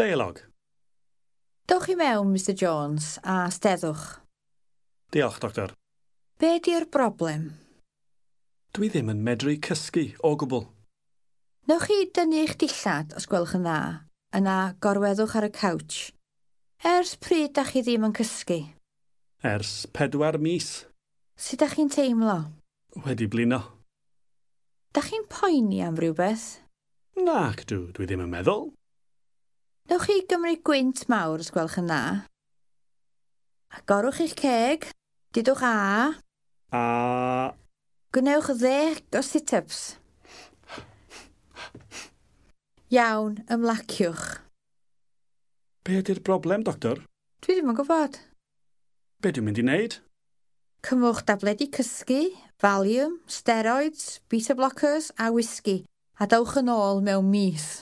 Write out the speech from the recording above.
Deialog. Dowch i mewn, Mr Jones, a steddwch. Diolch, doctor. Be di'r broblem? Dwi ddim yn medru cysgu o gwbl. Newch chi dynnu eich dillad, os gwelwch yn dda, yna gorweddwch ar y couch. Ers pryd da chi ddim yn cysgu? Ers 4 mis. Sut da chi'n teimlo? Wedi blino. Da chi'n poeni am rhywbeth? Nac dw, dwi ddim yn meddwl. Newch chi gymryd gwynt mawr os gwelwch yn dda. Agorwch eich ceg, dudwch a. A. Gwnewch 10 o sit-ups. Iawn, ymlaciwch. Be ydy'r broblem, doctor? Dwi ddim yn gwybod. Be dwi'n mynd i wneud? Cymwch dabledi cysgu, Valium, steroids, beta blockers a whisky, a dowch yn ôl mewn mis.